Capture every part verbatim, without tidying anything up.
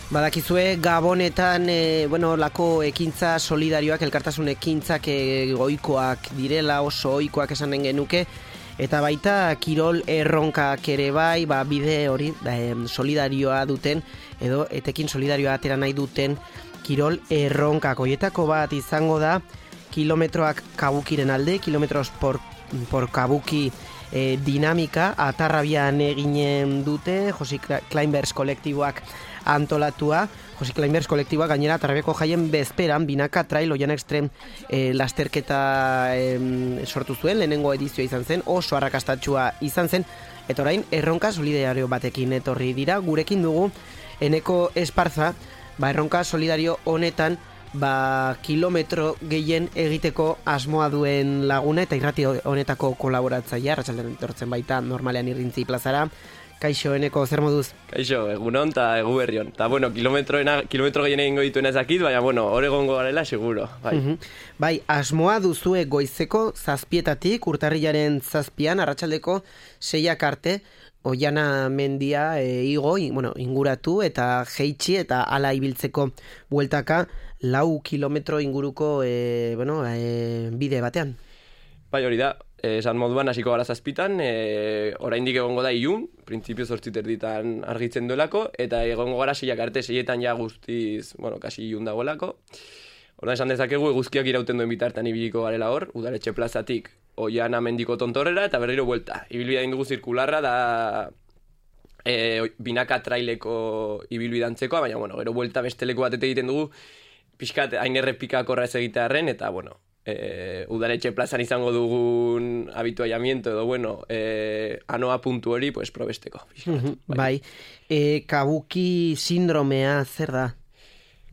Badakizue Gabonetan e, bueno, lako ekintza solidarioak, elkartasun ekintzak e, goikoak direla, oso ohikoak esanen genuke, eta baita kirol erronkak ere bai, ba, bide hori da, e, solidarioa duten, edo etekin solidarioa atera nahi duten kirol erronkak. Hoietako bat izango da kilometroak kabukiren alde, kilometros por, por kabuki e, dinamika, Atarrabian eginen dute, Josi Climbers kolektiboak antolatua. Josi Climbers kolektiboa gainera Atarrabiako jaien bezperan binaka trail oian extrem e, lasterketa e, sortu zuen, lehenengo edizioa izan zen, oso arrakastatsua izan zen, eta orain erronka solidario batekin etorri dira. Gurekin dugu Eneko Esparza, ba, erronka solidario honetan ba, kilometro gehien egiteko asmoa duen laguna eta irrati honetako kolaboratzailea, arratsaldean etortzen baita normalean Irrintzi plazara. Kaixo, Eneko, zer moduz? Kaixo, egunon eta egu berrion. Eta, bueno, kilometroena, kilometro gehien egingo dituena ezakit, baina, bueno, hor egongo garela, seguro. Bai. Uh-huh. Bai, asmoa duzue goizeko zazpietatik, urtarrilaren zazpian, arratsaldeko seiak arte, Oiana mendia e, igo, in, bueno, inguratu eta jeitsi eta ala ibiltzeko bueltaka lau kilometro inguruko e, bueno, e, bide batean. Bai, hori da, esan moduan hasiko gara zazpitan, e, oraindik egongo da ilun, printzipio zortzi terditan argitzen duelako, eta egongo gara seiak arte, seietan ja guztiz, bueno, kasi ilun dagoelako. Hora esan dezakegu eguzkiak irauten duen bitartan ibiliko garela hor, Udaletxe plazatik Oiana mendiko tontorrera eta berriro buelta. Ibilbidea indugu zirkularra da e, binaka traileko ibilbidantzeko, baina, bueno, gero buelta beste leku batete egiten dugu, pixkat hain errepikakorra ez egitearren, eta, bueno, e, Udaletxe plazan izango dugun habituallamiento edo, bueno, e, anoa puntu hori, pues, probesteko. Pixkat, bai, bai. E, kabuki sindromea zer da?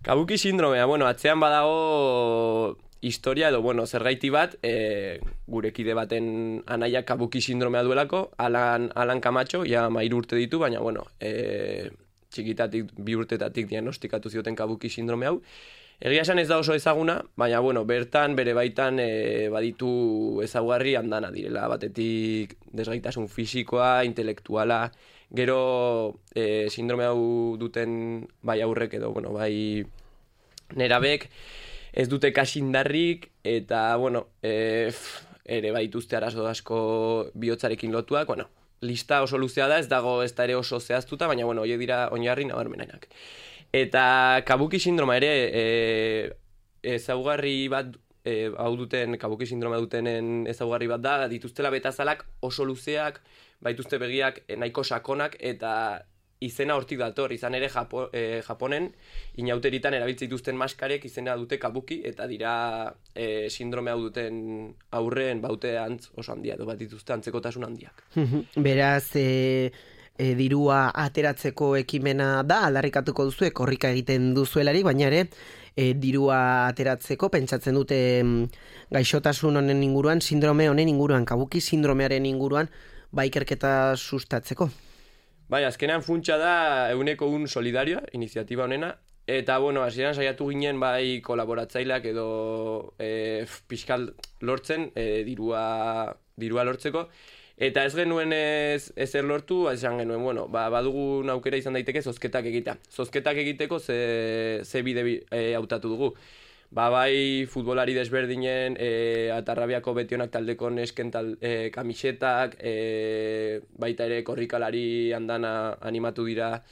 Kabuki sindromea, bueno, atzean badago historia edo, bueno, zergaiti bat, e, gure kide baten anaia kabuki sindromea duelako, Alan, Alan Camacho, ja mairu urte ditu, baina, bueno, e, txikitatik, bi urtetatik diagnostikatu zioten kabuki sindrome hau. Egia esan ez da oso ezaguna, baina, bueno, bertan, bere baitan, e, baditu ezaugarri andana direla, batetik desgaitasun fisikoa, intelektuala, gero e, sindrome hau duten bai aurrek edo, bueno, bai nerabek, ez dute kasindarrik, eta, bueno, e, ere baituzte arazo asko bihotzarekin lotuak, bueno, lista oso luzea da, ez dago ez da ere oso zehaztuta, baina, bueno, horiek dira oinarri nabarmenak. Eta kabuki sindroma ere, e, ezaugarri bat, e, hau duten, kabuki sindroma dutenen ezaugarri bat da, dituztela betazalak oso luzeak, baituzte begiak nahiko sakonak, eta izena hortik dator, izan ere Japo, eh, Japonen inauteritan erabiltzen dituzten maskarek izena dute kabuki, eta dira eh, sindrome hau duten aurreen baute antz oso handia, edo bat dituzte antzekotasun handiak. Beraz, e, e, dirua ateratzeko ekimena da, aldarrikatuko duzu, korrika egiten duzuelarik, baina ere, e, dirua ateratzeko, pentsatzen dute gaixotasun honen inguruan, sindrome honen inguruan, kabuki sindromearen inguruan, ba ikerketa sustatzeko. Bai, azkenean funtsa da euneko un solidarioa, iniziatiba honena, eta, bueno, hasieran saiatu ginen bai kolaboratzaileak edo e, pixkal lortzen, e, dirua, dirua lortzeko, eta ez genuen ez, ezer lortu, esan genuen, bueno, ba, badugun aukera izan daiteke zozketak egitea. Zozketak egiteko ze, ze bide e, hautatu dugu. Ba, bai futbolari desberdinen, e, Atarrabiako betionak taldeko nesken tal, e, kamisetak, e, baita ere korrikalari andana animatu dira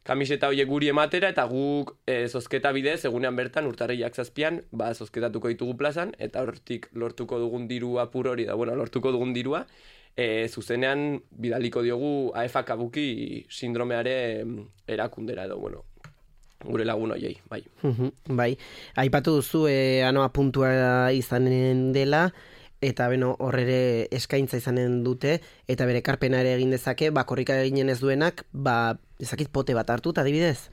kamiseta horiek guri ematera, eta guk e, zozketa bidez, egunean bertan, urtarrilak zazpian, ba, zozketatuko ditugu plazan, eta hortik lortuko dugun dirua pur hori da, bueno, lortuko dugun dirua, e, zuzenean bidaliko diogu A F A kabuki sindromeare erakundera edo, bueno, gure lagun hoiei, bai. Uh-huh, bai, aipatu duzu e, anoa puntua izanen dela, eta beno, horrere eskaintza izanen dute, eta bere karpena ere egin dezake, ba, korrika eginen ez duenak, ba, ezakit pote bat hartu, adibidez?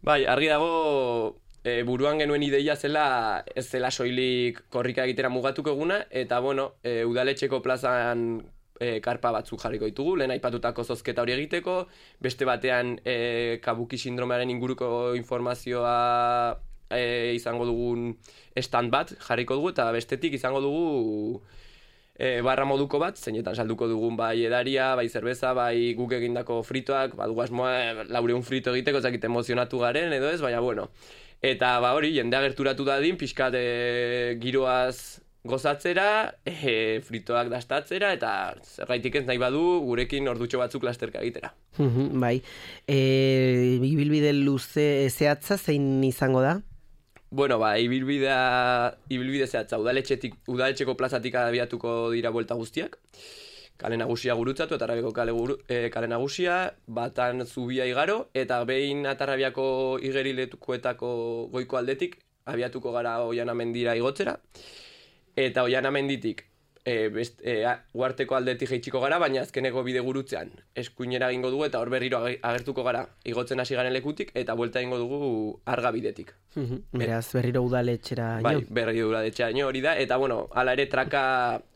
Bai, argi dago, e, buruan genuen ideia zela, ez zela soilik korrika egitera mugatuko eguna, eta, bueno, e, Udaletxeko plazan E, karpa batzuk jarriko ditugu, lehen aipatutako zozketa hori egiteko, beste batean e, kabuki sindromearen inguruko informazioa e, izango dugun stand bat jarriko dugu, eta bestetik izango dugu e, barra moduko bat, zeinetan salduko dugun bai edaria, bai zerbeza, bai guk egindako fritoak, badugu asmoa laureun frito egiteko, ezakit emozionatu garen edo ez, baina bueno. Eta ba hori, jendea gerturatu dadin, pixkat e, giroaz gozatzera, e, fritoak dastatzera, eta zergaitik ez nahi badu gurekin ordutxo batzuk lasterka egitera. Bai, e, ibilbide luze zehatza zein izango da? Bueno, ba, ibilbidea, ibilbide zehatza, udaletxetik, udaletxeko plazatik abiatuko dira buelta guztiak, kale nagusia gurutzatu, Atarrabiako kale, guru, e, kale nagusia, batan zubia igaro, eta behin Atarrabiako igeriletukoetako goiko aldetik, abiatuko gara Oiana mendira igotzera, eta Oiana menditik e, best, e, uarteko aldetik jaitsiko gara, baina azkeneko bide gurutzean eskuinera egingo dugu, eta hor berriro agertuko gara igotzen hasi garen lekutik, eta buelta egingo dugu Arga bidetik. Beraz, berriro udaletxera bai, berriro udaletxera hori da, eta bueno, hala ere traka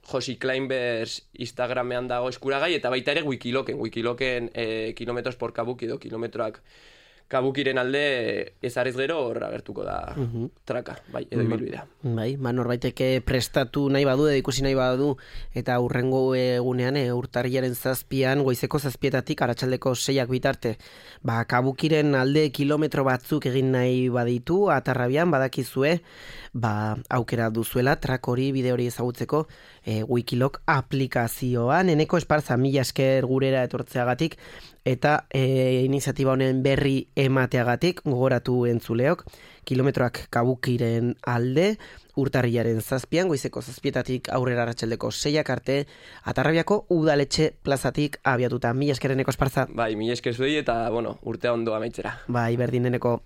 Josi Climbers Instagramean dago eskuragai, eta baita ere Wikiloken, Wikiloken e, kilometros por kabuki edo kilometroak kabukiren alde ezarriz gero hor agertuko da uh-huh. traka, bai, edo ibilbidea. Bai, ba, norbaiteke prestatu nahi badu, edo ikusi nahi badu, eta hurrengo egunean, e, urtarriaren zazpian, goizeko zazpietatik, aratsaldeko seiak bitarte, ba, kabukiren alde kilometro batzuk egin nahi baditu, Atarrabian, badakizue, ba, aukera duzuela, trak hori, bide hori ezagutzeko, e, Wikilok aplikazioan, Eneko Esparza, mila esker gurera etortzeagatik, eta e, iniziatiba honen berri emateagatik, gogoratu entzuleok, kilometroak kabukiren alde, urtarriaren zazpian, goizeko zazpietatik aurrera arratsaldeko seiak arte, Atarrabiako udaletxe plazatik abiatuta. Mila esker Eneko Esparza. Bai, mila esker zuei eta, bueno, urtea ondo amaitzera. Bai, berdin Eneko.